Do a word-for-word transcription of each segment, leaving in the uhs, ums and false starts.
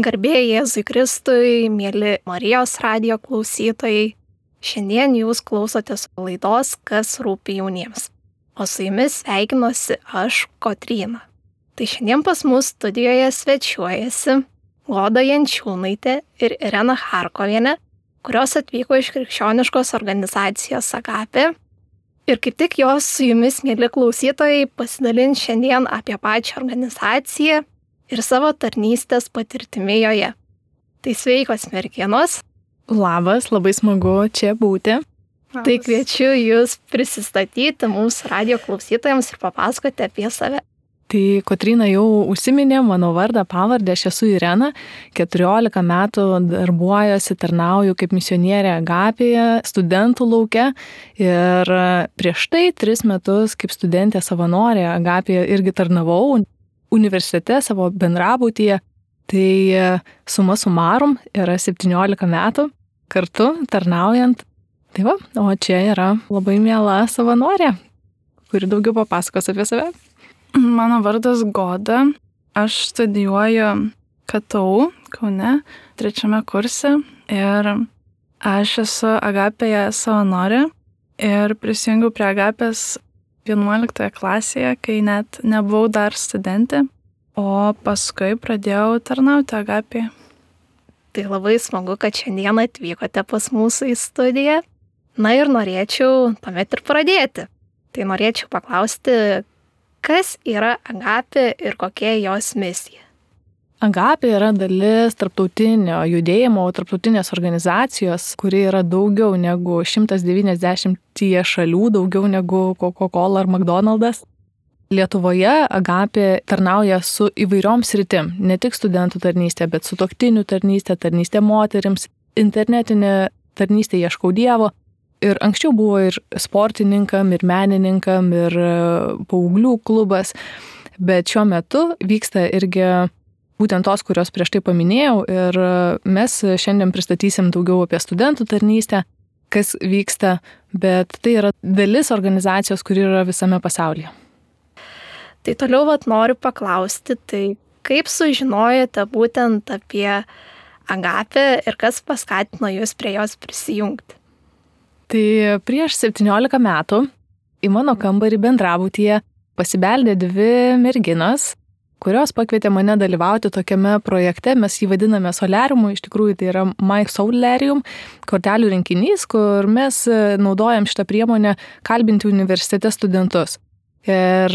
Garbė Jėzui Kristui, mėly Marijos radijo klausytojai. Šiandien jūs klausotės laidos Kas rūpi jauniems. O su jumis sveikinuosi aš, Kotryna. Tai šiandien pas mus studijoje svečiuojasi Goda Jančiūnaitė ir Irena Charkovienė, kurios atvyko iš krikščioniškos organizacijos Agapė. Ir kaip tik jos su jumis, mėly klausytojai, pasidalins šiandien apie pačią organizaciją ir savo tarnystės patirtimi joje. Tai sveikos merginos. Labas, labai smagu čia būti. Labas. Tai kviečiu jūs prisistatyti mūsų radio klausytojams ir papasakoti apie save. Tai Kotryna jau užsiminė mano vardą, pavardę, aš esu Irena, keturiolika metų darbuojuosi, tarnauju kaip misionierė Agapėje, studentų lauke ir prieš tai tris metus kaip studentė savanorė Agapėje irgi tarnavau universitete savo bendrabutyje. Tai suma sumarum yra septyniolika metų kartu tarnaujant. Tai va, o čia yra labai miela savanorė, kuri daugiau papasakos apie save. Mano vardas Goda, aš studijuoju K T U Kaune, trečiame kurse ir aš esu Agapėje savanorė ir prisijungiau prie Agapės vienuoliktoje klasėje, kai net nebuvau dar studentė, o paskui pradėjau tarnauti Agapėje. Tai labai smagu, kad šiandien atvykote pas mūsų į studiją. Na ir norėčiau tuomet ir pradėti. Tai norėčiau paklausti, kas yra Agapė ir kokia jos misija? Agapė yra dalis tarptautinio judėjimo, tarptautinės organizacijos, kuri yra daugiau negu šimtas devyniasdešimt šalių, daugiau negu Coca-Cola ar McDonald's. Lietuvoje Agapė tarnauja su įvairiom sritim, ne tik studentų tarnystė, bet sutuoktinių tarnystė, tarnystė moterims, internetinė tarnystė Ieškau Dievo. Ir anksčiau buvo ir sportininkam, ir menininkam, ir paauglių klubas, bet šiuo metu vyksta irgi būtent tos, kurios prieš tai paminėjau, ir mes šiandien pristatysim daugiau apie studentų tarnystę, kas vyksta, bet tai yra dalis organizacijos, kuri yra visame pasaulyje. Tai toliau vat noriu paklausti, tai kaip sužinojote būtent apie Agapę ir kas paskatino jūs prie jos prisijungti? Tai prieš septyniolika metų į mano kambarį bendrabutyje pasibeldė dvi merginos, kurios pakvietė mane dalyvauti tokiame projekte, mes jį vadiname Solariumu, iš tikrųjų tai yra My Solarium, kortelių rinkinys, kur mes naudojam šitą priemonę kalbinti universitete studentus. Ir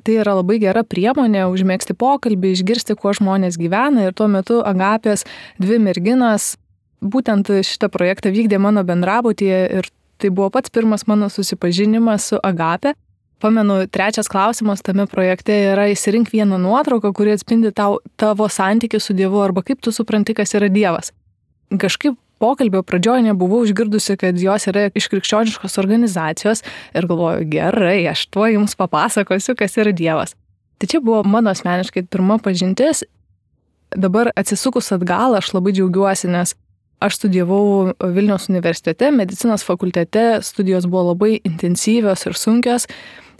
tai yra labai gera priemonė užmėgsti pokalbį, išgirsti, kuo žmonės gyvena, ir tuo metu Agapės dvi merginos būtent šitą projektą vykdė mano bendrabutyje ir tai buvo pats pirmas mano susipažinimas su Agapė. Pamenu, trečias klausimas tame projekte yra išsirink vieną nuotrauką, kuri atspindi tau, tavo santykį su Dievu arba kaip tu supranti, kas yra Dievas. Kažkaip pokalbio pradžioje nebuvau išgirdusi, kad jos yra iš krikščioniškos organizacijos ir galvoju, gerai, aš tuo jums papasakosiu, kas yra Dievas. Tai čia buvo mano asmeniškai pirma pažintis. Dabar atsisukus atgal, aš labai džiaugiuosi, nes aš studijavau Vilniaus universitete, medicinos fakultete, studijos buvo labai intensyvios ir sunkios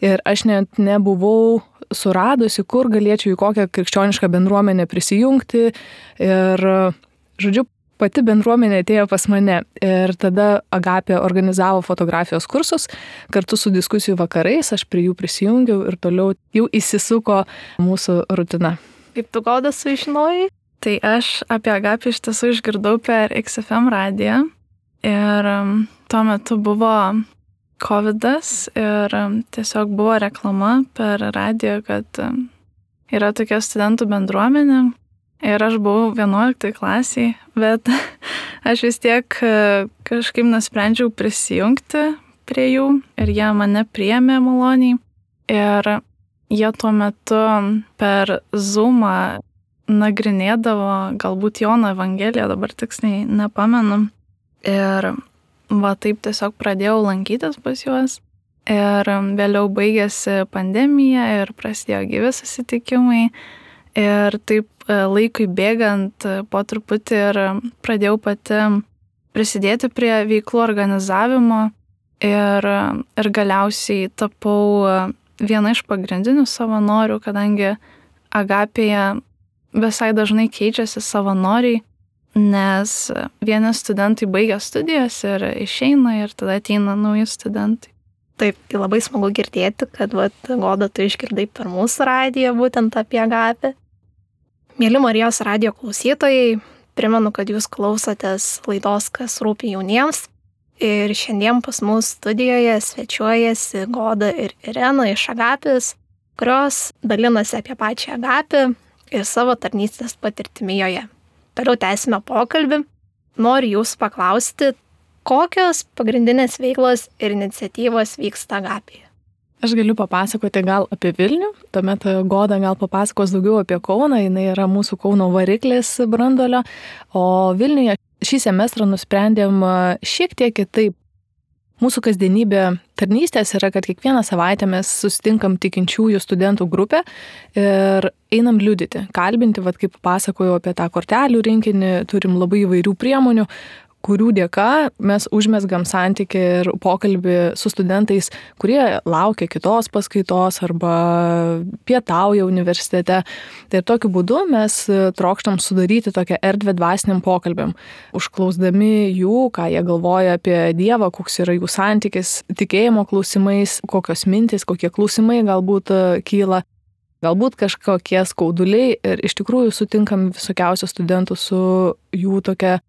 ir aš net nebuvau suradusi, kur galėčiau į kokią krikščionišką bendruomenę prisijungti ir, žodžiu, pati bendruomenė atėjo pas mane ir tada Agapė organizavo fotografijos kursus kartu su diskusijų vakarais, aš prie jų prisijungiau ir toliau jau įsisuko mūsų rutina. Kaip tu, Goda, sužinojai? Tai aš apie Agapę iš tiesų išgirdau per X F M radiją ir tuo metu buvo kovidas ir tiesiog buvo reklama per radiją, kad yra tokia studentų bendruomenė ir aš buvau vienuoliktoj klasiai, bet aš vis tiek kažkaip nusprendžiau prisijungti prie jų ir jie mane priėmė maloniai ir jie tuo metu per Zoomą nagrinėdavo galbūt Jono Evangeliją, dabar tiksliai nepamenu. Ir va taip tiesiog pradėjau lankytis pas juos. Ir vėliau baigėsi pandemija ir prasidėjo gyvi susitikimai. Ir taip laikui bėgant po truputį ir pradėjau pati prisidėti prie veiklų organizavimo. Ir, ir galiausiai tapau viena iš pagrindinių savanorių, kadangi Agapėje visai dažnai keičiasi savanoriai, nes vieni studentai baigia studijas ir išeina ir tada ateina nauji studentai. Taip, tai labai smagu girdėti, kad vat, Goda, tu išgirdai per mūsų radiją būtent apie Agapę. Mėly Marijos radijo klausytojai, primenu, kad jūs klausotės laidos Kas rūpi jauniems. Ir šiandien pas mus studijoje svečiuojasi Goda ir Irena iš Agapės, kurios dalinasi apie pačią Agapę ir savo tarnystės patirtimi joje. Toliau tęsime pokalbį. Noriu jūsų paklausti, kokios pagrindinės veiklos ir iniciatyvos vyksta Agapėje? Aš galiu papasakoti gal apie Vilnių, tuomet Goda gal papasakos daugiau apie Kauną, jinai yra mūsų Kauno variklis branduolio, o Vilniuje šį semestrą nusprendėm šiek tiek kitaip. Mūsų kasdienybė tarnystės yra, kad kiekvieną savaitę mes susitinkam tikinčiųjų studentų grupę ir einam liudyti, kalbinti, vat kaip pasakojau apie tą kortelių rinkinį, turim labai įvairių priemonių, kurių dėka mes užmesgam santykį ir pokalbį su studentais, kurie laukia kitos paskaitos arba pietauja universitete. Tai ir tokiu būdu mes trokštam sudaryti tokią erdvę dvasiniam pokalbėm, užklausdami jų, ką jie galvoja apie Dievą, koks yra jų santykis tikėjimo klausimais, kokios mintys, kokie klausimai galbūt kyla. Galbūt kažkokie skauduliai ir iš tikrųjų sutinkam visokiausių studentų su jų tokia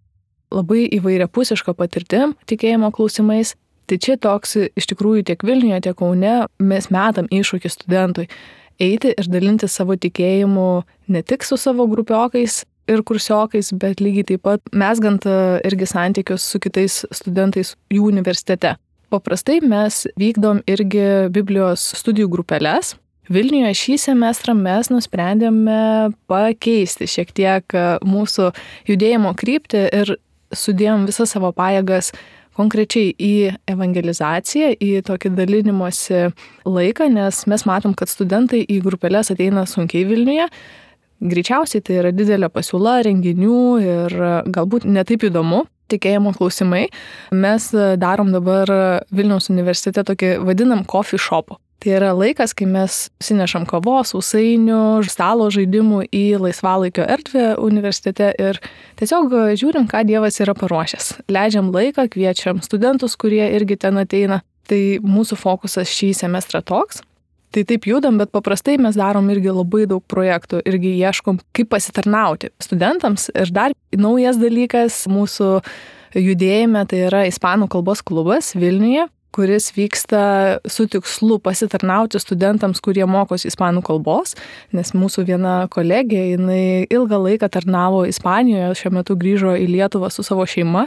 labai įvairiapusiška patirtim tikėjimo klausimais. Tai čia toks iš tikrųjų tiek Vilniuje, tiek Kaune mes metam iššūkį studentui eiti ir dalinti savo tikėjimu ne tik su savo grupiokais ir kursiokais, bet lygiai taip pat mezgant irgi santykius su kitais studentais jų universitete. Paprastai mes vykdom irgi Biblijos studijų grupeles. Vilniuje šį semestrą mes nusprendėme pakeisti šiek tiek mūsų judėjimo kryptį ir sudėjom visą savo pajėgas konkrečiai į evangelizaciją, į tokį dalinimosi laiką, nes mes matom, kad studentai į grupelės ateina sunkiai Vilniuje. Greičiausiai tai yra didelė pasiūla renginių ir galbūt netaip įdomu tikėjimo klausimai. Mes darom dabar Vilniaus universitete tokį vadinam coffee shopu. Tai yra laikas, kai mes sinešam kavos, sausainių, stalo žaidimų į laisvalaikio erdvę universitete ir tiesiog žiūrim, ką Dievas yra paruošęs. Leidžiam laiką, kviečiam studentus, kurie irgi ten ateina. Tai mūsų fokusas šį semestrą toks. Tai taip judam, bet paprastai mes darom irgi labai daug projektų, irgi ieškom, kaip pasitarnauti studentams. Ir dar naujas dalykas mūsų judėjime, tai yra ispanų kalbos klubas Vilniuje, kuris vyksta su tikslu pasitarnauti studentams, kurie mokosi ispanų kalbos, nes mūsų viena kolegė, jinai ilgą laiką tarnavo Ispanijoje, šiuo metu grįžo į Lietuvą su savo šeima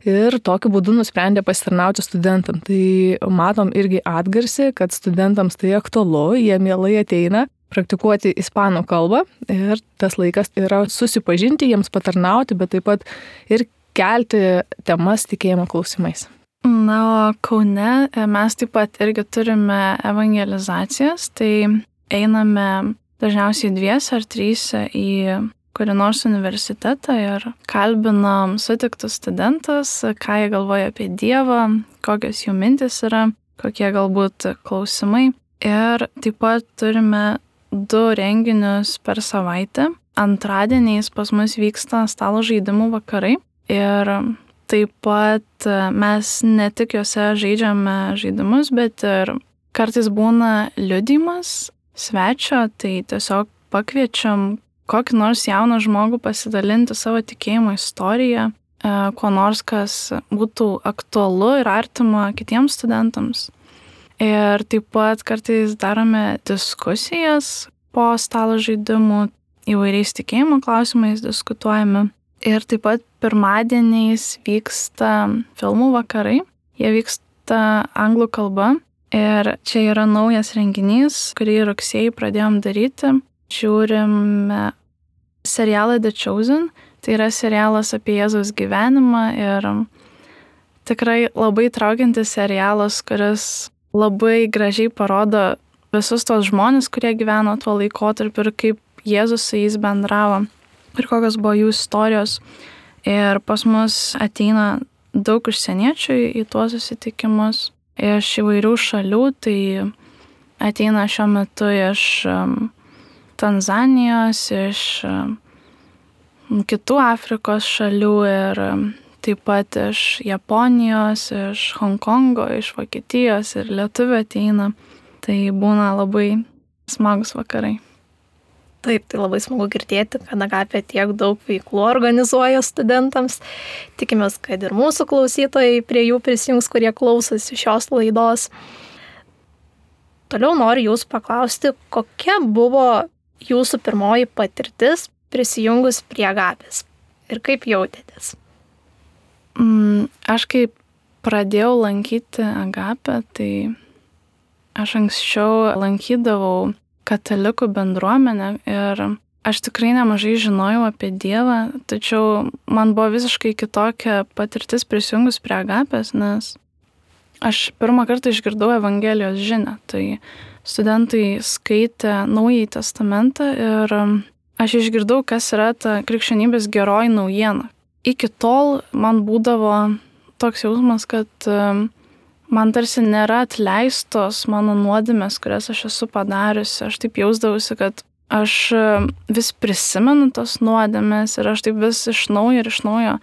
ir tokiu būdu nusprendė pasitarnauti studentam. Tai matom irgi atgarsį, kad studentams tai aktualu, jie mielai ateina praktikuoti ispanų kalbą ir tas laikas yra susipažinti, jiems patarnauti, bet taip pat ir kelti temas tikėjimo klausimais. Na, o Kaune mes taip pat irgi turime evangelizacijas, tai einame dažniausiai dviese ar tryse į kurį nors universitetą ir kalbinam sutiktus studentus, ką jie galvoja apie Dievą, kokios jų mintis yra, kokie galbūt klausimai. Ir taip pat turime du renginius per savaitę. Antradieniais pas mus vyksta stalo žaidimų vakarai ir taip pat mes ne tik juose žaidžiame žaidimus, bet ir kartais būna liudijimas svečio, tai tiesiog pakviečiam kokį nors jauną žmogų pasidalinti savo tikėjimo istoriją, kuo nors, kas būtų aktualu ir artima kitiems studentams. Ir taip pat kartais darome diskusijas po stalo žaidimų, įvairiais tikėjimo klausimais diskutuojame. Ir taip pat pirmadieniais vyksta filmų vakarai. Jie vyksta anglų kalba. Ir čia yra naujas renginys, kurį rugsėjį pradėjom daryti. Žiūrime serialą The Chosen. Tai yra serialas apie Jėzaus gyvenimą ir tikrai labai traukiantis serialas, kuris labai gražiai parodo visus tos žmonės, kurie gyveno tuo laikotarpiu ir kaip Jėzus su jais bendravo. Ir kokios buvo jų istorijos. Ir pas mus ateina daug užsieniečių į tuos susitikimus iš įvairių šalių. Tai ateina šiuo metu iš Tanzanijos, iš kitų Afrikos šalių ir taip pat iš Japonijos, iš Honkongo, iš Vokietijos ir lietuvių ateina. Tai būna labai smagus vakarai. Taip, tai labai smagu girdėti, kad Agapė tiek daug veiklų organizuoja studentams. Tikimės, kad ir mūsų klausytojai prie jų prisijungs, kurie klausosi šios laidos. Toliau noriu jūsų paklausti, kokia buvo jūsų pirmoji patirtis prisijungus prie Agapės ir kaip jautėtės? Mm, aš kaip pradėjau lankyti Agapę, tai aš anksčiau lankydavau katalikų bendruomenę ir aš tikrai nemažai žinojau apie Dievą, tačiau man buvo visiškai kitokia patirtis prisijungus prie Agapės, nes aš pirmą kartą išgirdau Evangelijos žinią. Tai studentai skaitė Naująjį testamentą ir aš išgirdau, kas yra ta krikščionybės geroji naujiena. Iki tol man būdavo toks jausmas, kad man tarsi nėra atleistos mano nuodėmės, kurias aš esu padariusi. Aš taip jausdavausi, kad aš vis prisimenu tos nuodėmės ir aš taip vis iš naujo ir iš naujo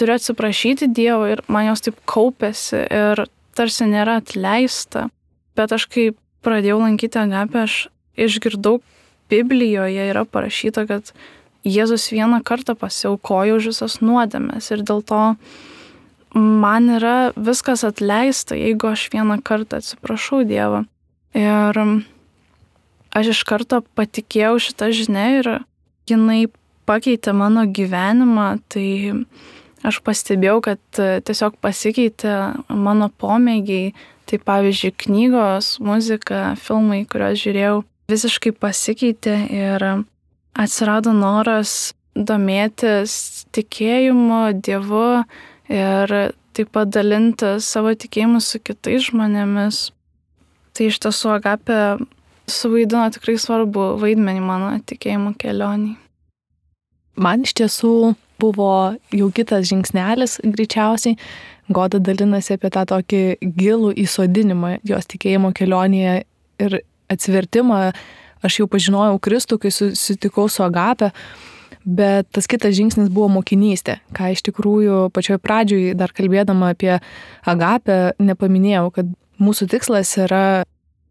turiu atsiprašyti Dievo ir man jos taip kaupėsi ir tarsi nėra atleista. Bet aš kai pradėjau lankyti Agapę, aš išgirdau, Biblijoje yra parašyta, kad Jėzus vieną kartą pasiaukojo už visas nuodėmės ir dėl to man yra viskas atleista, jeigu aš vieną kartą atsiprašau Dievą. Ir aš iš karto patikėjau šitą žinią ir jinai pakeitė mano gyvenimą, tai aš pastebėjau, kad tiesiog pasikeitė mano pomėgiai, tai pavyzdžiui knygos, muzika, filmai, kuriuos žiūrėjau, visiškai pasikeitė ir atsirado noras domėtis tikėjimu, Dievu, ir taip pat dalinti savo tikėjimu su kitais žmonėmis. Tai iš tiesų Agapė suvaidino tikrai svarbu vaidmenį mano tikėjimo kelionį. Man iš tiesų buvo jau kitas žingsnelis greičiausiai. Goda dalinasi apie tą tokį gilų įsodinimą jos tikėjimo kelionėje ir atsivertimą. Aš jau pažinojau Kristų, kai susitikau su Agapė. Bet tas kitas žingsnis buvo mokinystė, ką iš tikrųjų pačioj pradžioj dar kalbėdama apie Agapę nepaminėjau, kad mūsų tikslas yra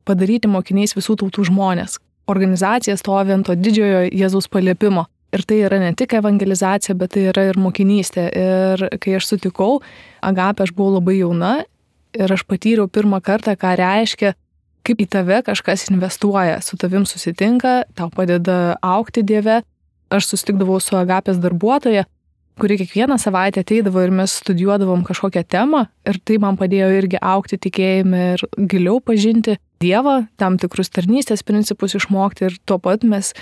padaryti mokiniais visų tautų žmonės. Organizacija stovi ant to didžiojo Jėzaus paliepimo. Ir tai yra ne tik evangelizacija, bet tai yra ir mokinystė. Ir kai aš sutikau Agapę, aš buvau labai jauna ir aš patyriau pirmą kartą, ką reiškia, kaip į tave kažkas investuoja, su tavim susitinka, tau padeda augti Dieve. Aš susitikdavau su Agapės darbuotoja, kuri kiekvieną savaitę ateidavo ir mes studijuodavom kažkokią temą ir tai man padėjo irgi augti tikėjime ir giliau pažinti Dievą, tam tikrus tarnystės principus išmokti ir tuo pat mes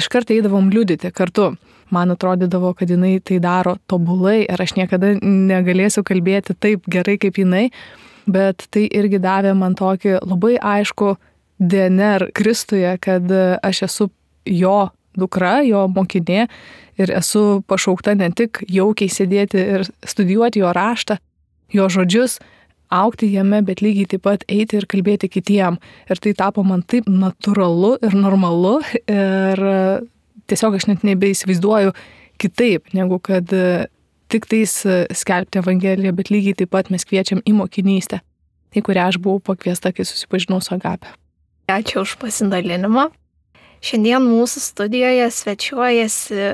iškart eidavom liudyti kartu. Man atrodydavo, kad jinai tai daro tobulai ir aš niekada negalėsiu kalbėti taip gerai kaip jinai, bet tai irgi davė man tokį labai aišku D N R Kristuje, kad aš esu jo dukra, jo mokinė ir esu pašaukta ne tik jaukiai sėdėti ir studijuoti jo raštą, jo žodžius, augti jame, bet lygiai taip pat eiti ir kalbėti kitiem. Ir tai tapo man taip natūralu ir normalu ir tiesiog aš net nebeįsivaizduoju kitaip, negu kad tik tais skelbti Evangeliją, bet lygiai taip pat mes kviečiam į mokinystę, į kurią aš buvau pakviesta, kai susipažinau su Agapė. Ačiū už pasidalinimą. Šiandien mūsų studijoje svečiuojasi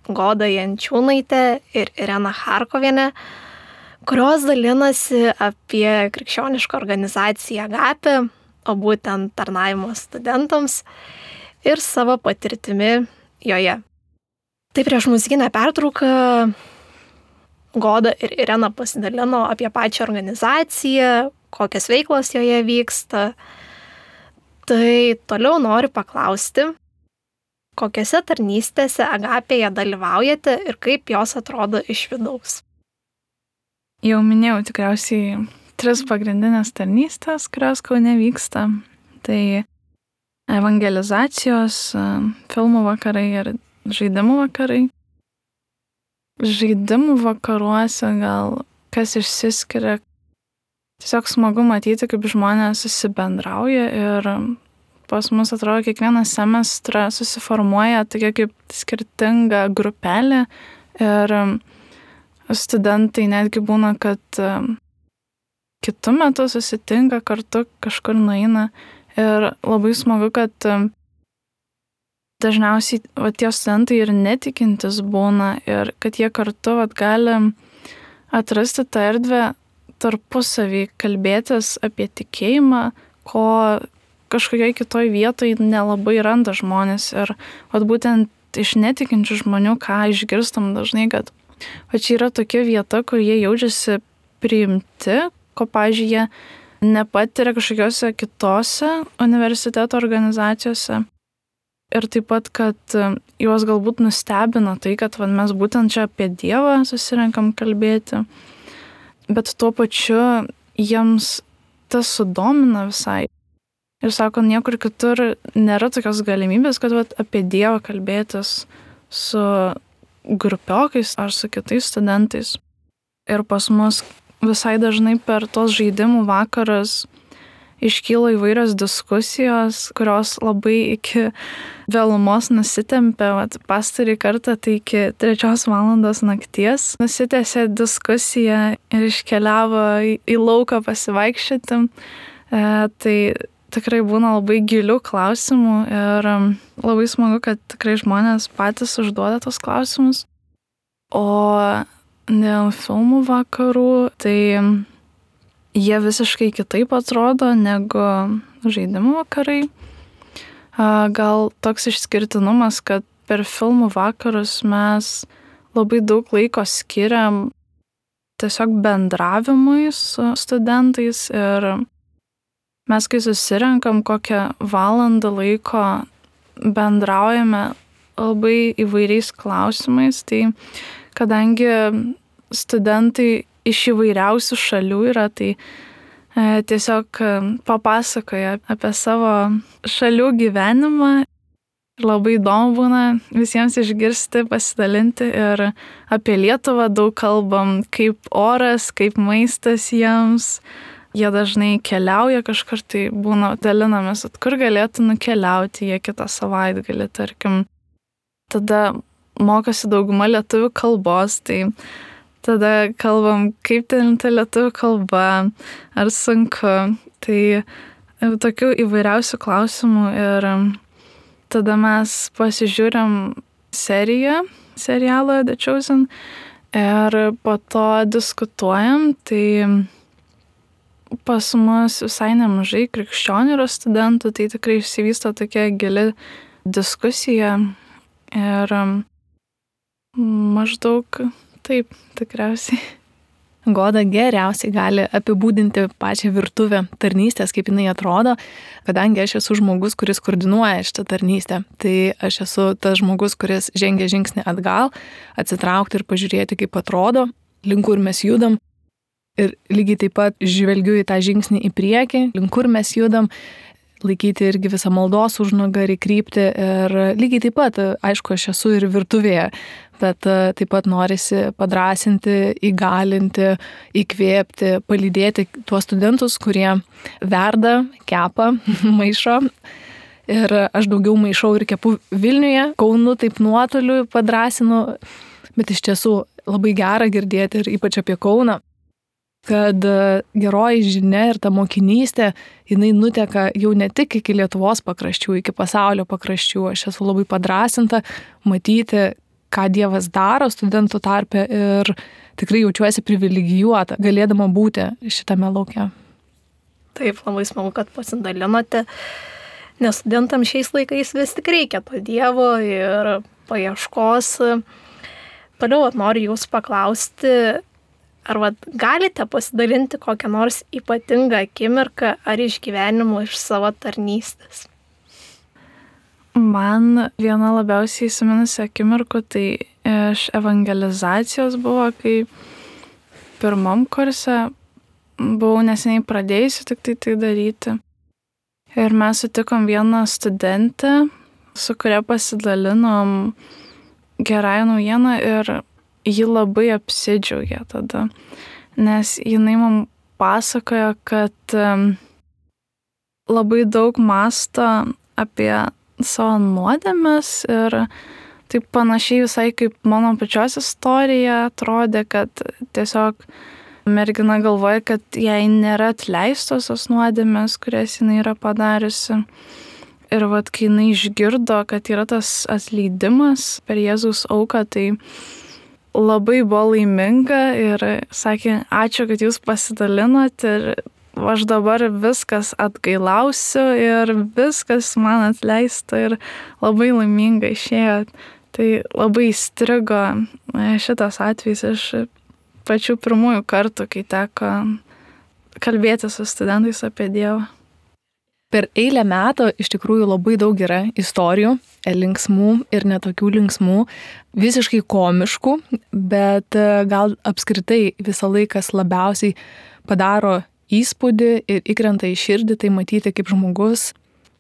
Goda Jančiūnaitė ir Irena Charkovienė, kurios dalinasi apie krikščionišką organizaciją Agapė, o būtent tarnavimo studentams ir savo patirtimi joje. Tai prieš muzikinę pertrauką Goda ir Irena pasidalino apie pačią organizaciją, kokias veiklos joje vyksta. Tai toliau noriu paklausti, kokiose tarnystėse Agapėje dalyvaujate ir kaip jos atrodo iš vidaus? Jau minėjau tikriausiai tris pagrindinės tarnystės, kurios Kaune vyksta. Tai evangelizacijos, filmų vakarai ir žaidimų vakarai. Žaidimų vakaruose gal kas išsiskiria. Tiesiog smagu matyti, kaip žmonės susibendrauja ir pas mus atrodo kiekvieną semestrą susiformuoja tokia kaip skirtinga grupelė ir studentai netgi būna, kad kitu metu susitinka kartu, kažkur nueina ir labai smagu, kad dažniausiai va, tie studentai ir netikintis būna ir kad jie kartu va, gali atrasti tą erdvę tarpusavį, kalbėtis apie tikėjimą, ko kažkokioj kitoj vietoj nelabai randa žmonės. Ir vat, būtent iš netikinčių žmonių, ką išgirstam dažnai, kad va, čia yra tokia vieta, kur jie jaučiasi priimti, ko, pavyzdžiui, jie nepatiria kažkokiose kitose universiteto organizacijose. Ir taip pat, kad juos galbūt nustebina tai, kad va, mes būtent čia apie Dievą susirenkam kalbėti, bet tuo pačiu jiems tas sudomina visai. Ir sako, niekur kitur nėra tokios galimybės, kad va, apie Dievą kalbėtis su grupiokais ar su kitais studentais. Ir pas mus visai dažnai per tos žaidimų vakarus iškyla įvairios diskusijos, kurios labai iki vėlumos nusitempė. Vat, pastarį kartą tai iki trečios valandos nakties nusitęsė diskusija ir iškeliavo į, į lauką pasivaikščioti. E, tai tikrai būna labai gilių klausimų ir labai smagu, kad tikrai žmonės patys užduoda tos klausimus. O dėl filmų vakarų, tai jie visiškai kitaip atrodo negu žaidimų vakarai. Gal toks išskirtinumas, kad per filmų vakarus mes labai daug laiko skiriam tiesiog bendravimui su studentais ir mes, kai susirenkam kokią valandą laiko, bendraujame labai įvairiais klausimais, tai kadangi studentai iš įvairiausių šalių yra, tai e, tiesiog papasakoja apie savo šalių gyvenimą. Labai įdomu būna visiems išgirsti, pasidalinti ir apie Lietuvą daug kalbam, kaip oras, kaip maistas jiems. Jie dažnai keliauja kažkur, tai būna dalinamės, kur galėtų nukeliauti jie kitą savaitgalį, tarkim. Tada mokosi dauguma lietuvių kalbos, tai tada kalbam, kaip ten ta lietuvių kalba, ar sunku. Tai tokių įvairiausių klausimų ir tada mes pasižiūrim seriją, serialą The Chosen ir po to diskutuojam. Tai pas mus visai nemažai krikščionių yra studentų, tai tikrai išsivysto tokia gili diskusija ir maždaug taip, tikriausiai. Goda geriausiai gali apibūdinti pačią virtuvę tarnystės, kaip jinai atrodo, kadangi aš esu žmogus, kuris koordinuoja šitą tarnystę. Tai aš esu tas žmogus, kuris žengia žingsnį atgal, atsitraukti ir pažiūrėti, kaip atrodo, link kur mes judam. Ir lygiai taip pat žvelgiu į tą žingsnį į priekį, link kur mes judam, laikyti irgi visą maldos užnugarį, kryptį ir lygiai taip pat, aišku, aš esu ir virtuvėje, bet taip pat norisi padrąsinti, įgalinti, įkvėpti, palydėti tuos studentus, kurie verda, kepa, maišo. Ir aš daugiau maišau ir kepu Vilniuje, Kaunu taip nuotoliu padrąsinu, bet iš tiesų labai gera girdėti ir ypač apie Kauną, kad geroji žinia ir ta mokinystė, jinai nuteka jau ne tik iki Lietuvos pakraščių, iki pasaulio pakraščių. Aš esu labai padrąsinta matyti, ką Dievas daro studentų tarpe ir tikrai jaučiuosi privilegijuota, galėdama būti šitame lauke. Taip, labai smagu, kad pasidalinote, nes studentams šiais laikais vis tik reikia to Dievo ir paieškos. Toliau noriu jūsų paklausti, ar vat, galite pasidalinti kokią nors ypatingą akimirką ar išgyvenimų iš savo tarnystės? Man viena labiausiai įsiminusi akimirkų tai iš evangelizacijos buvo, kai pirmam kurse buvau neseniai pradėjusi tik tai tai daryti. Ir mes sutikom vieną studentę, su kuria pasidalinom gerąją naujieną ir ji labai apsidžiaugė tada, nes jinai mums pasakojo, kad labai daug mąsto apie savo nuodėmes ir taip panašiai visai kaip mano pačios istorija atrodė, kad tiesiog mergina galvoja, kad jai nėra atleistos tos nuodėmės, kurias jinai yra padariusi. Ir vat, kai jinai išgirdo, kad yra tas atleidimas per Jėzaus auką, tai labai buvo laiminga ir sakė, ačiū, kad jūs pasidalinot ir aš dabar viskas atgailausiu ir viskas man atleista ir labai laiminga išėjo. Tai labai įstrigo šitas atvejis iš pačių pirmųjų kartų, kai teko kalbėti su studentais apie Dievą. Per eilę metų iš tikrųjų labai daug yra istorijų, linksmų ir netokių linksmų, visiškai komiškų, bet gal apskritai visą laiką labiausiai padaro įspūdį ir įkrenta į širdį, tai matyti, kaip žmogus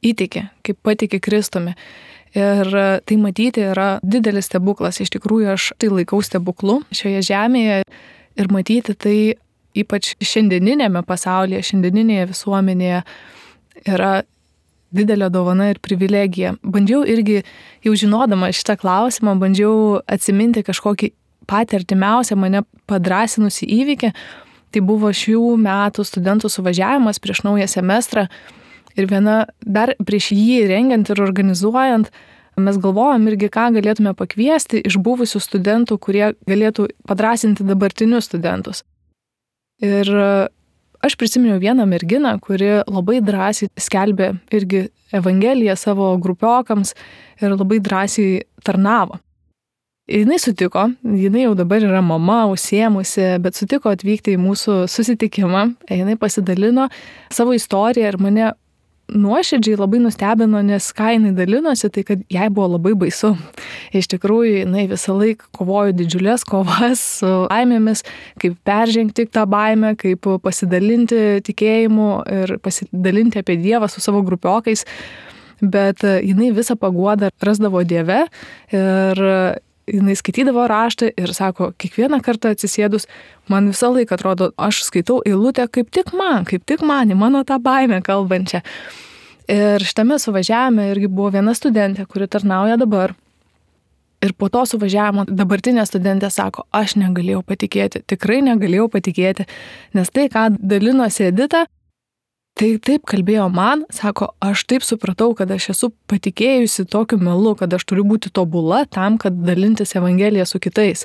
įtiki, kaip patiki Kristumi. Ir tai matyti yra didelis stebuklas. Iš tikrųjų, aš tai laikau stebuklu šioje žemėje ir matyti tai ypač šiandieninėme pasaulyje, šiandieninėje visuomenėje yra didelė dovana ir privilegija. Bandžiau irgi, jau žinodama šitą klausimą, bandžiau atsiminti kažkokį patį artimiausią mane padrasinusi įvykį. Tai buvo šių metų studentų suvažiavimas prieš naują semestrą ir viena dar prieš jį rengiant ir organizuojant, mes galvojom irgi, ką galėtume pakviesti iš buvusių studentų, kurie galėtų padrasinti dabartinius studentus. Ir aš prisiminiau vieną merginą, kuri labai drąsiai skelbė irgi evangeliją savo grupiokams ir labai drąsiai tarnavo. Jinai sutiko, jinai jau dabar yra mama, užsiėmusi, bet sutiko atvykti į mūsų susitikimą. Jinai pasidalino savo istoriją ir mane nuoširdžiai labai nustebino, nes ką jinai dalinosi, tai kad jai buvo labai baisu. Iš tikrųjų, jinai visą laiką kovojo didžiulės kovas su baimėmis, kaip peržengti tą baimę, kaip pasidalinti tikėjimu ir pasidalinti apie Dievą su savo grupiokais. Bet jinai visą paguodą rasdavo Dieve ir jinai skaitydavo raštą ir sako, kiekvieną kartą atsisėdus, man visą laiką atrodo, aš skaitau eilutę kaip tik man, kaip tik man, į mano tą baimę kalbančią. Ir šitame suvažiavime irgi buvo viena studentė, kuri tarnauja dabar. Ir po to suvažiavimo dabartinė studentė sako, aš negalėjau patikėti, tikrai negalėjau patikėti, nes tai, ką dalinosi Edita, tai taip kalbėjo man, sako, aš taip supratau, kad aš esu patikėjusi tokiu melu, kad aš turiu būti tobula tam, kad dalintis evangeliją su kitais.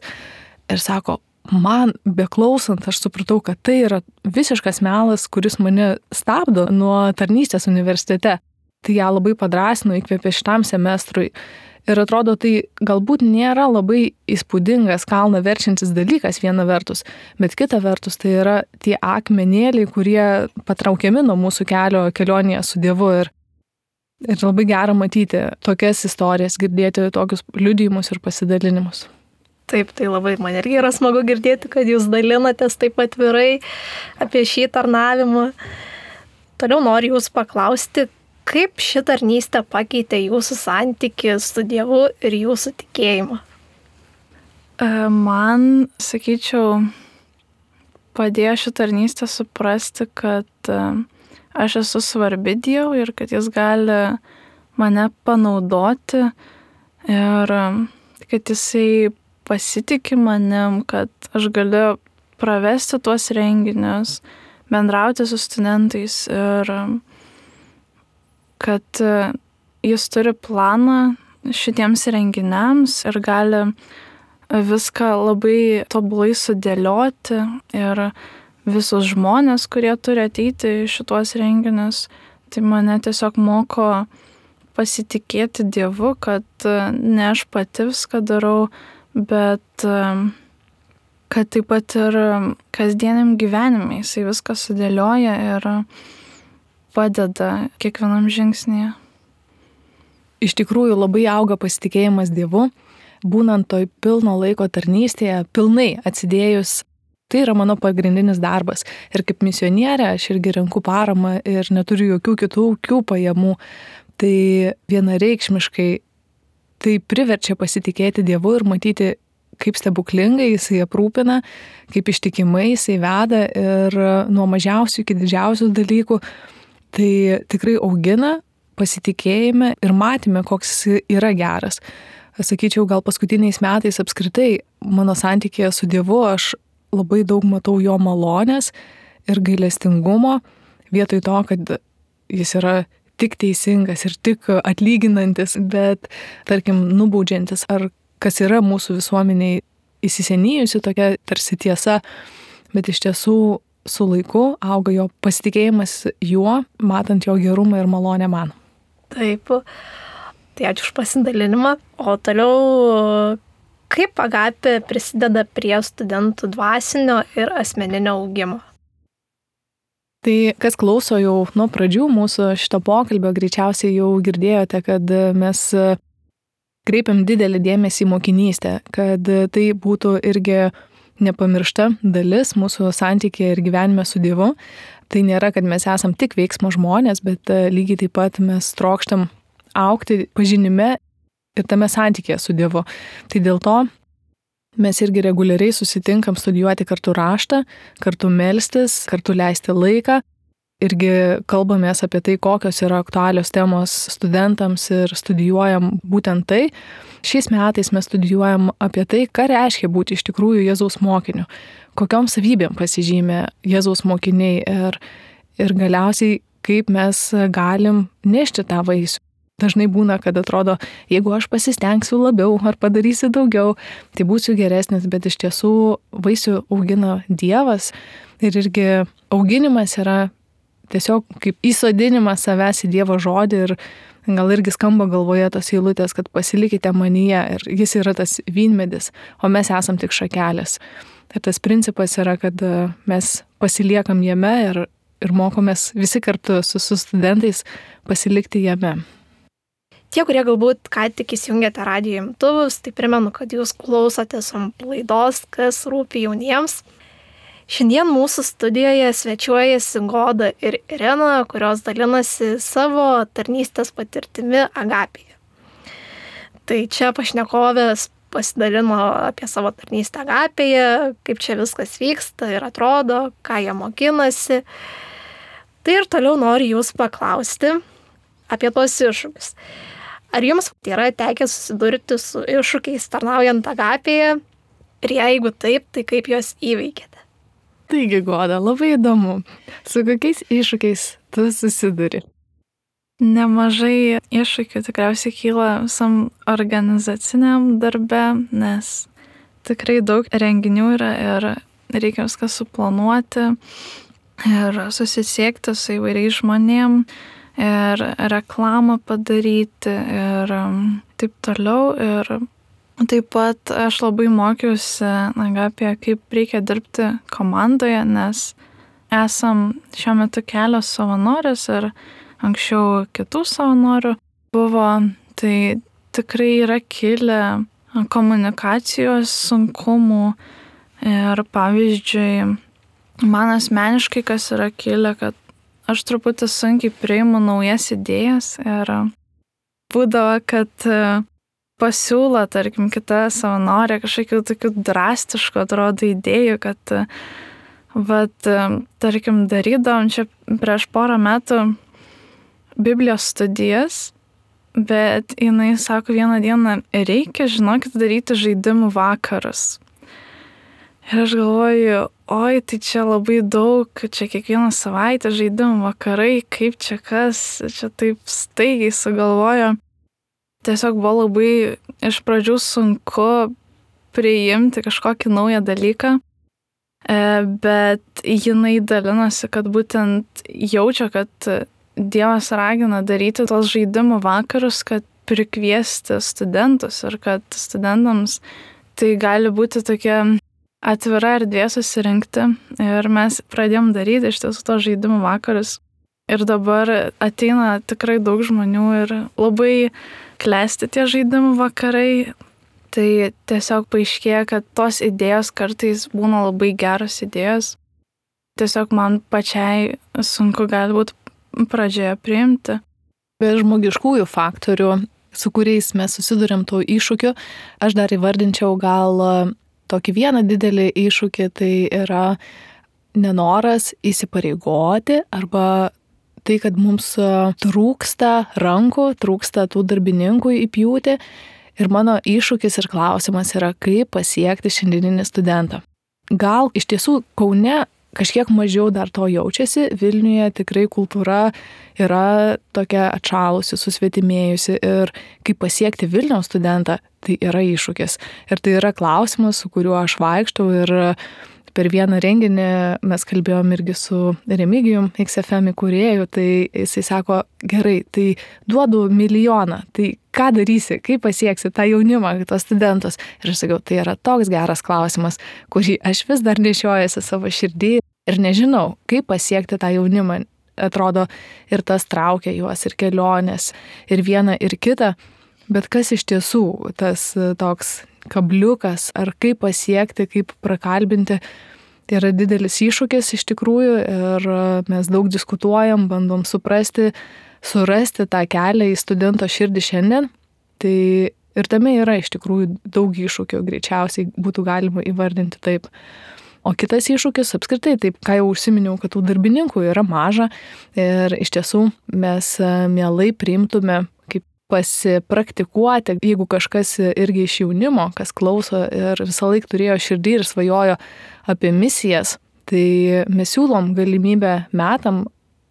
Ir sako, man beklausant, aš supratau, kad tai yra visiškas melas, kuris mane stabdo nuo tarnystės universitete. Tai ją labai padrasino, įkvėpė šitam semestrui. Ir atrodo, tai galbūt nėra labai įspūdingas, kalną verčiantis dalykas viena vertus, bet kita vertus tai yra tie akmenėliai, kurie patraukiami nuo mūsų kelio kelionėje su Dievu. Ir, ir labai gera matyti tokias istorijas, girdėti tokius liudijimus ir pasidalinimus. Taip, tai labai man irgi yra smagu girdėti, kad jūs dalinatės taip atvirai apie šį tarnavimą. Toliau noriu jūs paklausti, kaip ši tarnystė pakeitė jūsų santykį su Dievu ir jūsų tikėjimą? Man, sakyčiau, padėjo ši tarnystė suprasti, kad aš esu svarbi Dievui ir kad jis gali mane panaudoti ir kad jisai pasitikė manim, kad aš galiu pravesti tuos renginius, bendrauti su studentais ir kad jis turi planą šitiems renginiams ir gali viską labai tobulai sudėlioti ir visus žmonės, kurie turi ateiti į šituos renginius, tai mane tiesiog moko pasitikėti Dievu, kad ne aš pati viską darau, bet kad taip pat ir kasdieniam gyvenime jisai viską sudėlioja ir padeda kiekvienam žingsnyje. Iš tikrųjų labai auga pasitikėjimas Dievu, būnant toj pilno laiko tarnystėje, pilnai atsidėjus. Tai yra mano pagrindinis darbas. Ir kaip misionierė aš irgi renku paramą ir neturiu jokių kitų pajamų. Tai vienareikšmiškai tai priverčia pasitikėti Dievu ir matyti, kaip stebuklingai jisai aprūpina, kaip ištikimai jisai veda ir nuo mažiausių iki didžiausių dalykų. Tai tikrai augina pasitikėjime ir matyme, koks jis yra geras. Sakyčiau, gal paskutiniais metais apskritai mano santykėje su Dievu aš labai daug matau jo malonės ir gailestingumo, vietoj to, kad jis yra tik teisingas ir tik atlyginantis, bet, tarkim, nubaudžiantis, ar kas yra mūsų visuomeniai įsisenėjusi tokia tarsi tiesa, bet iš tiesų su laiku auga jo pasitikėjimas juo, matant jo gerumą ir malonę man. Taip, tai ačiū už pasidalinimą. O toliau, kaip Agapė prisideda prie studentų dvasinio ir asmeninio augimo? Tai kas klauso jau nuo pradžių mūsų šito pokalbio, greičiausiai jau girdėjote, kad mes kreipiam didelį dėmesį į mokinystę, kad tai būtų irgi nepamiršta dalis mūsų santykėje ir gyvenime su Dievu. Tai nėra, kad mes esam tik veiksmo žmonės, bet lygiai taip pat mes trokštam augti pažinime ir tame santykėje su Dievu. Tai dėl to mes irgi reguliariai susitinkam studijuoti kartu raštą, kartu melstis, kartu leisti laiką. Irgi kalbamės apie tai, kokios yra aktualios temos studentams ir studijuojam būtent tai. Šiais metais mes studijuojam apie tai, ką reiškia būti iš tikrųjų Jėzaus mokiniu, kokiom savybėm pasižymė Jėzaus mokiniai ir, ir galiausiai kaip mes galim nešti tą vaisių. Dažnai būna, kad atrodo, jeigu aš pasistengsiu labiau ar padarysiu daugiau, tai būsiu geresnis, bet iš tiesų vaisių augina Dievas ir irgi auginimas yra tiesiog kaip įsodinimas savęs į Dievo žodį ir gal irgi skamba galvoje tos eilutės, kad pasilikite manyje ir jis yra tas vynmedis, o mes esam tik šakelės. Ir tas principas yra, kad mes pasiliekam jame ir, ir mokomės visi kartu su, su studentais pasilikti jame. Tie, kurie galbūt ką tik įsijungėte radijo imtuvus, tai primenu, kad jūs klausotės laidos, kas rūpi jauniems. Šiandien mūsų studijoje svečiuojasi Goda ir Irena, kurios dalinasi savo tarnystės patirtimi Agapėje. Tai čia pašnekovės pasidalino apie savo tarnystę Agapėje, kaip čia viskas vyksta ir atrodo, ką jie mokinasi. Tai ir toliau noriu jūs paklausti apie tos iššūkius. Ar jums yra tekę susidurti su iššūkiais tarnaujant Agapėje? Ir jeigu taip, tai kaip juos įveikėte? Taigi, Goda, labai įdomu. Su kokiais iššūkiais tu susiduri? Nemažai iššūkių tikriausiai kyla visam organizaciniam darbe, nes tikrai daug renginių yra ir reikia viską suplanuoti ir susisiekti su įvairiais žmonėm ir reklamą padaryti ir taip toliau. Ir taip pat aš labai mokiausi Agapėje, kaip reikia dirbti komandoje, nes esam šiuo metu kelios savanorės ir anksčiau kitų savanorių buvo. Tai tikrai yra kilę komunikacijos sunkumų ir pavyzdžiui, man asmeniškai kas yra kilę, kad aš truputį sunkiai priimu naujas idėjas ir būdavo, kad pasiūlo, tarkim, kita savanorė kažkokių tokių drastiškų, atrodo, idėjų, kad, vat, tarkim, darydavom čia prieš porą metų Biblijos studijas, bet jinai sako vieną dieną, reikia, žinokit, daryti žaidimų vakarus. Ir aš galvoju, oi, tai čia labai daug, čia kiekvieną savaitę žaidimų vakarai, kaip čia kas, čia taip staigiai sugalvojo. Tiesiog buvo labai iš pradžių sunku priimti kažkokį naują dalyką, bet jinai dalinosi, kad būtent jaučia, kad Dievas ragina daryti tos žaidimų vakarus, kad prikviesti studentus ir kad studentams tai gali būti tokia atvira erdvė susirinkti. Ir mes pradėjom daryti iš tiesų tos žaidimų vakarus. Ir dabar ateina tikrai daug žmonių ir labai klesti tie žaidimų vakarai. Tai tiesiog paaiškėja, kad tos idėjos kartais būna labai geros idėjos. Tiesiog man pačiai sunku gali būti pradžioje priimti. Be žmogiškųjų faktorių, su kuriais mes susidurėm tų iššūkių, aš dar įvardinčiau gal tokį vieną didelį iššūkį, tai yra nenoras įsipareigoti arba tai, kad mums trūksta rankų, trūksta tų darbininkų įpjūti. Ir mano iššūkis ir klausimas yra, kaip pasiekti šiandieninį studentą. Gal iš tiesų Kaune kažkiek mažiau dar to jaučiasi, Vilniuje tikrai kultūra yra tokia atšalusi, susvetimėjusi ir kaip pasiekti Vilniaus studentą, tai yra iššūkis. Ir tai yra klausimas, su kuriuo aš vaikštau ir per vieną renginį mes kalbėjom irgi su Remigijum, X F M įkūrėju, tai jisai sako, gerai, tai duodu milijoną, tai ką darysi, kaip pasieksi tą jaunimą, tos studentus. Ir aš sakiau, tai yra toks geras klausimas, kurį aš vis dar nešiojuosi savo širdį ir nežinau, kaip pasiekti tą jaunimą. Atrodo, ir tas traukia juos, ir kelionės, ir viena, ir kita. Bet kas iš tiesų tas toks kabliukas, ar kaip pasiekti, kaip prakalbinti, tai yra didelis iššūkis iš tikrųjų ir mes daug diskutuojam, bandom suprasti, surasti tą kelią į studento širdį šiandien. Tai ir tame yra iš tikrųjų daug iššūkių, greičiausiai būtų galima įvardinti taip. O kitas iššūkis apskritai, taip, ką jau užsiminiau, kad tų darbininkų yra maža ir iš tiesų mes mielai priimtume kaip pasipraktikuoti, jeigu kažkas irgi iš jaunimo, kas klauso ir visą laiką turėjo širdį ir svajojo apie misijas, tai mes siūlom galimybę metam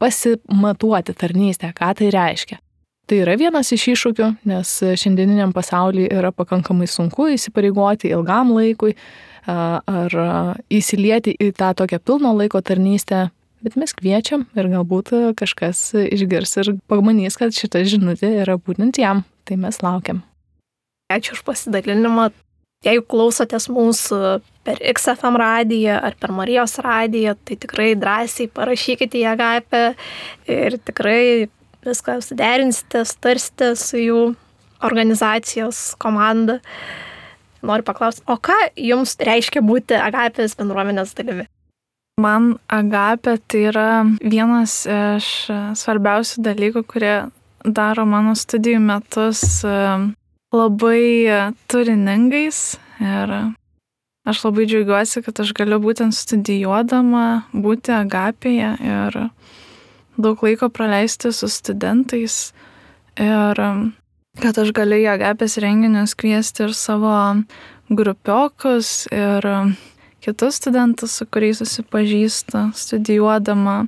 pasimatuoti tarnystę, ką tai reiškia. Tai yra vienas iš iššūkių, nes šiandieniniam pasaulyje yra pakankamai sunku įsipareigoti ilgam laikui ar įsilieti į tą tokią pilno laiko tarnystę. Bet mes kviečiam ir galbūt kažkas išgirs ir pamanys, kad šita žinutė yra būtent jam. Tai mes laukiam. Ačiū už pasidalinimą. Jeigu klausotės mūsų per X F M radiją ar per Marijos radiją, tai tikrai drąsiai parašykite į Agapę ir tikrai viską suderinsite, sutarsite su jų organizacijos komanda. Noriu paklausti, o ką jums reiškia būti Agapės bendruomenės dalimi? Man Agapė tai yra vienas iš svarbiausių dalykų, kurie daro mano studijų metus labai turiningais ir aš labai džiaugiuosi, kad aš galiu būtent studijuodama būti Agapėje ir daug laiko praleisti su studentais ir kad aš galiu į Agapės renginius kviesti ir savo grupiokus ir kitus studentus, su kuriais susipažįstu studijuodama.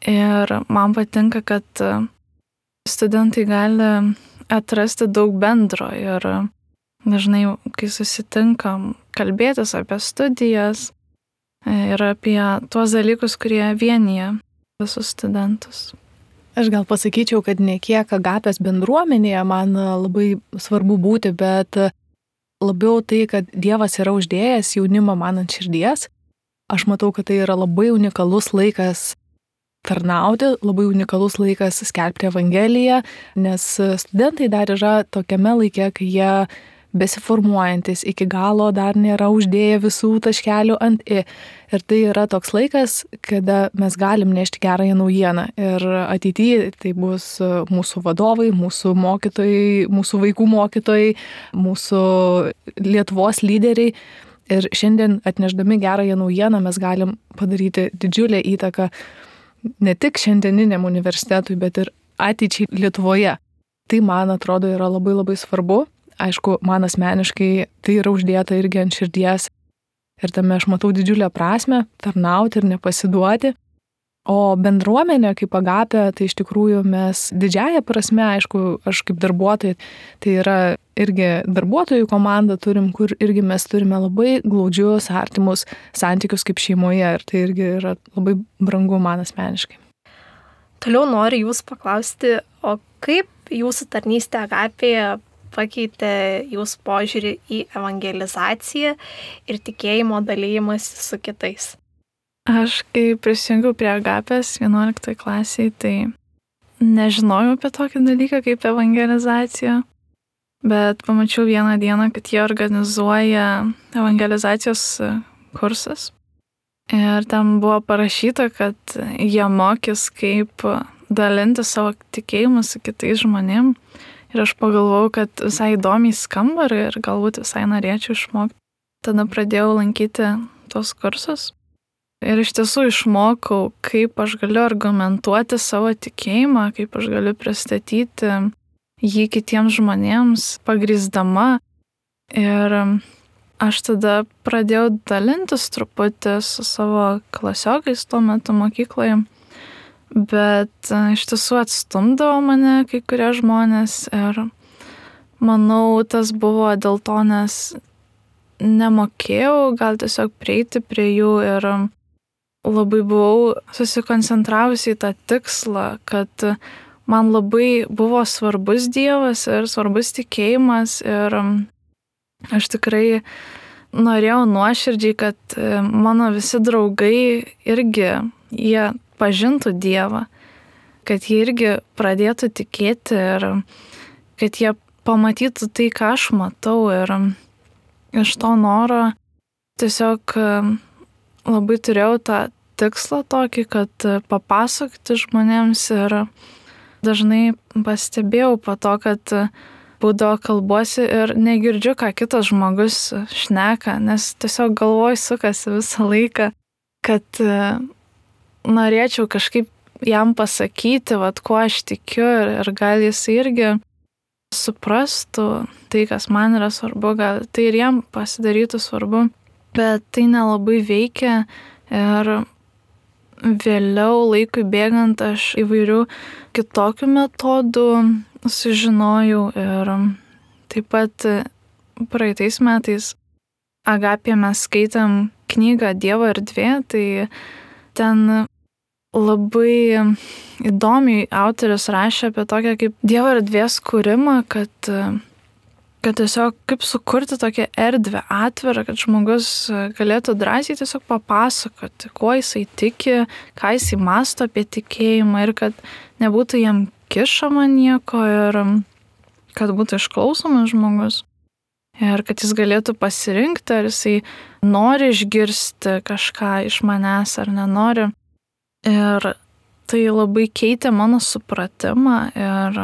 Ir man patinka, kad studentai gali atrasti daug bendro ir dažnai, kai susitinkam, kalbėtis apie studijas ir apie tuos dalykus, kurie vienyje visus studentus. Aš gal pasakyčiau, kad ne kiek Agapės bendruomenėje man labai svarbu būti, bet labiau tai, kad Dievas yra uždėjęs jaunimą man ant širdies. Aš matau, kad tai yra labai unikalus laikas tarnauti, labai unikalus laikas skelbti Evangeliją, nes studentai dar yra tokiame laike, kai jie besiformuojantis iki galo dar nėra uždėję visų taškelių ant i. Ir tai yra toks laikas, kada mes galim nešti gerąją naujieną. Ir ateityje tai bus mūsų vadovai, mūsų mokytojai, mūsų vaikų mokytojai, mūsų Lietuvos lyderiai. Ir šiandien atnešdami gerąją naujieną mes galim padaryti didžiulę įtaką ne tik šiandieniniam universitetui, bet ir ateičiai Lietuvoje. Tai, man atrodo, yra labai labai svarbu. Aišku, man asmeniškai tai yra uždėta irgi ant širdies ir tame aš matau didžiulę prasmę tarnauti ir nepasiduoti. O bendruomenė kaip Agapė, tai iš tikrųjų mes didžiąją prasme, aišku, aš kaip darbuotojai, tai yra irgi darbuotojų komanda turim, kur irgi mes turime labai glaudžius, artimus santykius kaip šeimoje ir tai irgi yra labai brangu man asmeniškai. Toliau noriu jūs paklausti, o kaip jūsų tarnystė Agapėje pakeitė jūsų požiūrį į evangelizaciją ir tikėjimo dalymąsi su kitais? Aš, kai prisijungiau prie Agapės vienuoliktoje klasėje, tai nežinojau apie tokį dalyką kaip evangelizacija, bet pamačiau vieną dieną, kad jie organizuoja evangelizacijos kursas. Ir ten buvo parašyta, kad jie mokys, kaip dalinti savo tikėjimu su kitais žmonėm. Ir aš pagalvojau, kad visai įdomiai skamba ir galbūt visai norėčiau išmokti. Tada pradėjau lankyti tos kursus. Ir iš tiesų išmokau, kaip aš galiu argumentuoti savo tikėjimą, kaip aš galiu pristatyti jį kitiems žmonėms, pagrįsdama. Ir aš tada pradėjau dalintis truputį su savo klasiokais tuo metu mokykloje, bet iš tiesų atstumdavo mane kai kurie žmonės ir manau, tas buvo dėl to, nes nemokėjau gal tiesiog prieiti prie jų ir labai buvau susikoncentravusi į tą tikslą, kad man labai buvo svarbus Dievas ir svarbus tikėjimas ir aš tikrai norėjau nuoširdžiai, kad mano visi draugai irgi jie pažintų Dievą, kad jie irgi pradėtų tikėti ir kad jie pamatytų tai, ką aš matau ir iš to noro tiesiog labai turėjau tą tikslą tokį, kad papasakoti žmonėms ir dažnai pastebėjau po to, kad būdavo kalbuosi ir negirdžiu, ką kitas žmogus šneka, nes tiesiog galvoj sukasi visą laiką, kad norėčiau kažkaip jam pasakyti, vat, kuo aš tikiu ir, ir gal jis irgi suprastų tai, kas man yra svarbu, gal tai ir jam pasidarytų svarbu, bet tai nelabai veikia ir vėliau laikui bėgant aš įvairių kitokių metodų sužinojau ir taip pat praeitais metais Agapėje mes skaitėm knygą Dievo erdvė, tai ten labai įdomiai autorius rašė apie tokią kaip Dievo erdvės kūrimą, kad kad tiesiog kaip sukurti tokią erdvę atvirą, kad žmogus galėtų drąsiai tiesiog papasakoti, kuo jisai tiki, ką jisai mąsto apie tikėjimą ir kad nebūtų jam kišama nieko ir kad būtų išklausomas žmogus ir kad jis galėtų pasirinkti, ar jisai nori išgirsti kažką iš manęs ar nenori. Ir tai labai keitė mano supratimą ir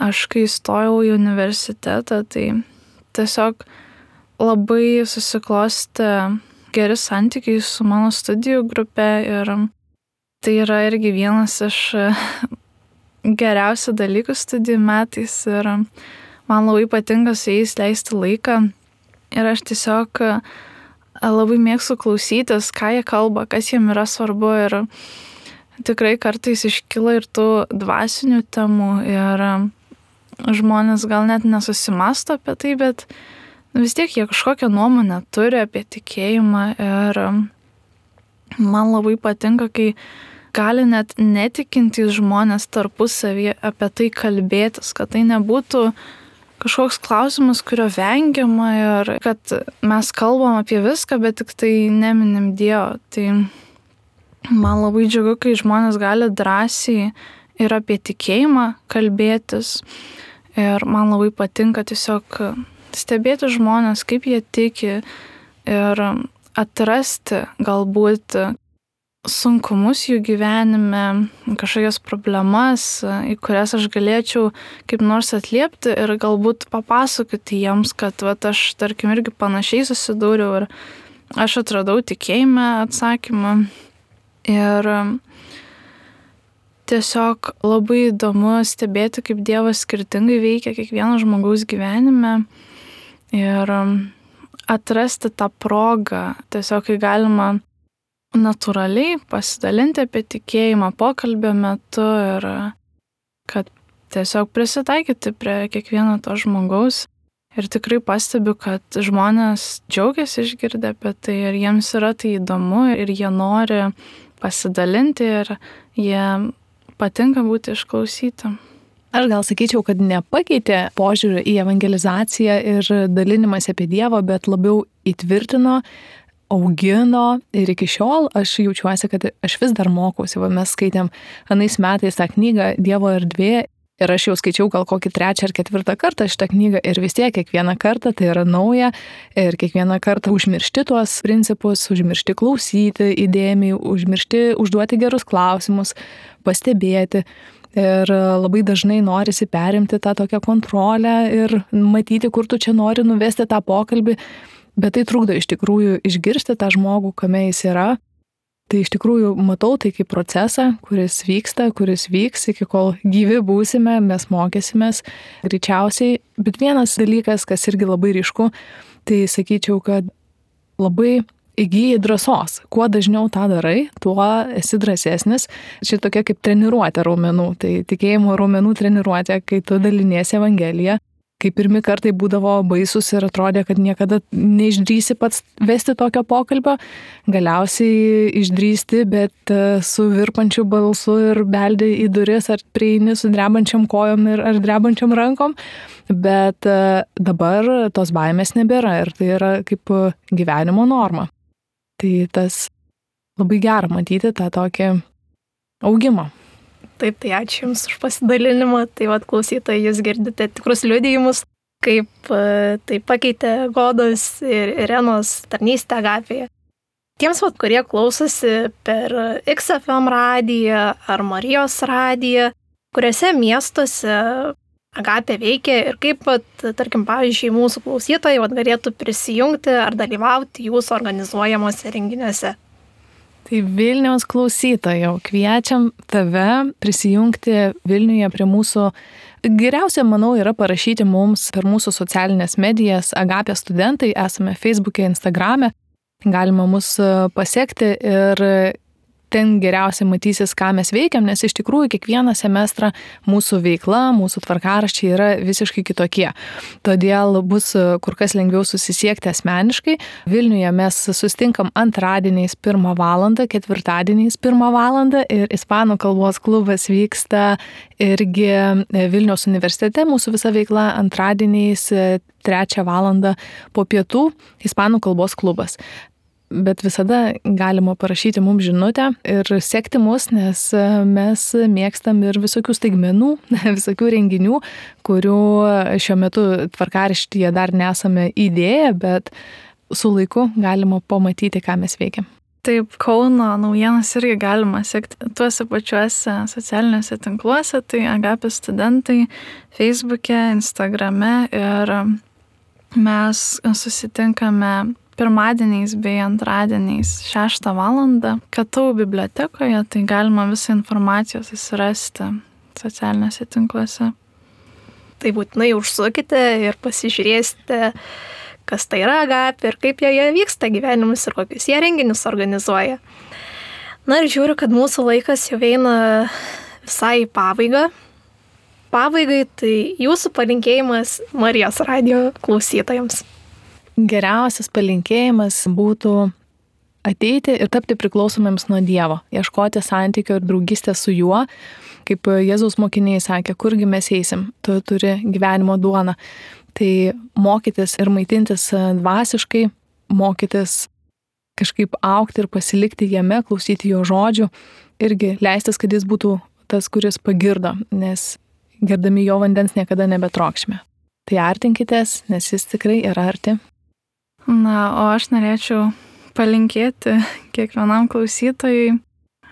aš, kai įstojau į universitetą, tai tiesiog labai susiklostė geri santykiai su mano studijų grupe ir tai yra irgi vienas iš geriausių dalykų studijų metais ir man labai patinka su jais leisti laiką ir aš tiesiog labai mėgstu klausytis, ką jie kalba, kas jiem yra svarbu ir tikrai kartais iškyla ir tų dvasinių temų ir žmonės gal net nesusimąsto apie tai, bet vis tiek jie kažkokią nuomonę turi apie tikėjimą ir man labai patinka, kai gali net netikintys žmonės tarpusavyje apie tai kalbėtis, kad tai nebūtų kažkoks klausimas, kurio vengiama ir kad mes kalbam apie viską, bet tik tai neminim Dievo. Tai man labai džiugu, kai žmonės gali drąsiai ir apie tikėjimą kalbėtis. Ir man labai patinka tiesiog stebėti žmonės, kaip jie tiki ir atrasti galbūt sunkumus jų gyvenime, kažkokias problemas, į kurias aš galėčiau kaip nors atliepti ir galbūt papasakoti jiems, kad vat, aš, tarkim, irgi panašiai susidūriau ir aš atradau tikėjime atsakymą. Ir tiesiog labai įdomu stebėti, kaip Dievas skirtingai veikia kiekvieno žmogaus gyvenime ir atrasti tą progą, tiesiog kai galima natūraliai pasidalinti apie tikėjimą pokalbio metu ir kad tiesiog prisitaikyti prie kiekvieno to žmogaus. Ir tikrai pastebiu, kad žmonės džiaugiasi išgirdę apie tai ir jiems yra tai įdomu ir jie nori pasidalinti ir jie patinka būti išklausyti. Aš gal sakyčiau, kad nepakeitė požiūrį į evangelizaciją ir dalinimąsi apie Dievą, bet labiau įtvirtino, augino ir iki šiol aš jaučiuosi, kad aš vis dar mokausi. Va, mes skaitėm anais metais tą knygą Dievo erdvė ir aš jau skaičiau gal kokį trečią ar ketvirtą kartą šitą knygą ir vis tiek kiekvieną kartą tai yra nauja ir kiekvieną kartą užmiršti tuos principus, užmiršti klausyti įdėmiai, užmiršti užduoti gerus klausimus, pastebėti. Ir labai dažnai norisi perimti tą tokią kontrolę ir matyti, kur tu čia nori nuvesti tą pokalbį, bet tai trukdo iš tikrųjų išgirsti tą žmogų, kame jis yra Tai iš tikrųjų matau tai kaip procesą, kuris vyksta, kuris vyks, iki kol gyvi būsime, mes mokysimės greičiausiai. Bet vienas dalykas, kas irgi labai ryšku, tai sakyčiau, kad labai įgyji drąsos. Kuo dažniau tą darai, tuo esi drąsesnis. Ši tokia kaip treniruotė raumenų. Tai tikėjimo raumenų treniruotė, kai tu daliniesi Evangeliją. Kai pirmi kartai būdavo baisus ir atrodė, kad niekada neišdrįsi pats vesti tokio pokalbio. Galiausiai išdrįsti, bet su virpančiu balsu ir beldi į duris, ar prieini su drebančiam kojom ir ar drebančiam rankom. Bet dabar tos baimės nebėra ir tai yra kaip gyvenimo norma. Tai tas labai gera matyti tą tokį augimą. Taip, tai ačiū Jums už pasidalinimą. Tai vad klausytojai, Jūs girdite tikrus liudijimus, kaip tai pakeitė Godos ir Irenos tarnystę Agapėje. Tiems, vat, kurie klausosi per X F M radiją ar Marijos radiją, kuriuose miestuose Agapė veikia ir kaip, vat, tarkim, pavyzdžiui, mūsų klausytojai vat, galėtų prisijungti ar dalyvauti Jūsų organizuojamuose renginiuose. Tai Vilniaus klausytojau, kviečiam tave prisijungti Vilniuje prie mūsų. Geriausia, manau, yra parašyti mums per mūsų socialinės medijas Agapė studentai, esame Facebook'e, Instagram'e, galima mus pasiekti ir ten geriausiai matysis, ką mes veikiam, nes iš tikrųjų kiekvieną semestrą mūsų veikla, mūsų tvarkaraščiai yra visiškai kitokie. Todėl bus kur kas lengviau susisiekti asmeniškai. Vilniuje mes susitinkam antradieniais pirmą valandą, ketvirtadieniais pirmą valandą ir ispanų kalbos klubas vyksta irgi Vilniaus universitete. Mūsų visa veikla antradieniais trečią valandą po pietų ispanų kalbos klubas. Bet visada galima parašyti mums žinutę ir sekti mus, nes mes mėgstam ir visokių staigmenų, visokių renginių, kurių šiuo metu tvarkaraštyje dar nesame įdėję, bet su laiku galima pamatyti, ką mes veikiam. Taip, Kauno naujienas irgi galima sekti tuose pačiuose socialiniuose tinkluose, tai Agapė studentai Facebook'e, Instagram'e ir mes susitinkame pirmadieniais bei antradieniais šeštą valandą K T U bibliotekoje, tai galima visą informaciją susirasti socialiniuose tinkluose. Tai būtinai užsukite ir pasižiūrėsite, kas tai yra Agapė ir kaip joje vyksta gyvenimus ir kokius jie renginius organizuoja. Na ir žiūriu, kad mūsų laikas jau eina visai į pabaigą. Pabaigai tai Jūsų palinkėjimas Marijos radijo klausytojams. Geriausias palinkėjimas būtų ateiti ir tapti priklausomiems nuo Dievo, ieškoti santykio ir draugystės su Juo, kaip Jėzaus mokiniai sakė, kurgi mes eisim, tu turi gyvenimo duoną. Tai mokytis ir maitintis dvasiškai, mokytis kažkaip augti ir pasilikti jame, klausyti Jo žodžių, irgi leistis, kad Jis būtų tas, kuris pagirdo, nes gerdami Jo vandens niekada nebetrokšime. Tai artinkitės, nes Jis tikrai yra arti. Na, o aš norėčiau palinkėti kiekvienam klausytojui,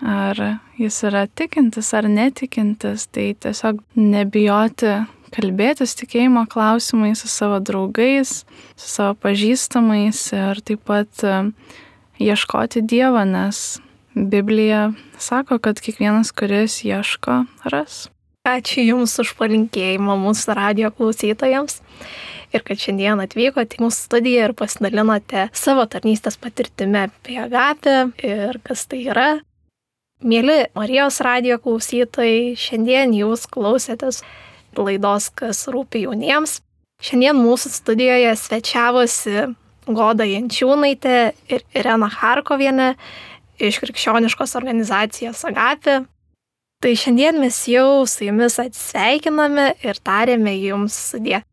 ar jis yra tikintis ar netikintis, tai tiesiog nebijoti kalbėtis tikėjimo klausimais su savo draugais, su savo pažįstamais ir taip pat ieškoti Dievo, nes Biblija sako, kad kiekvienas, kuris ieško, ras. Ačiū Jums už palinkėjimą mūsų radijo klausytojams. Ir kad šiandien atvykote į mūsų studiją ir pasidalinote savo tarnystės patirtimi apie Agapę ir kas tai yra. Mieli Marijos radijo klausytojai, šiandien Jūs klausėtės laidos Kas rūpi jauniems. Šiandien mūsų studijoje svečiavosi Goda Jančiūnaitė ir Irena Charkovienė iš krikščioniškos organizacijos Agapė. Tai šiandien mes jau su Jumis atsisveikiname ir tarėme Jums sudie.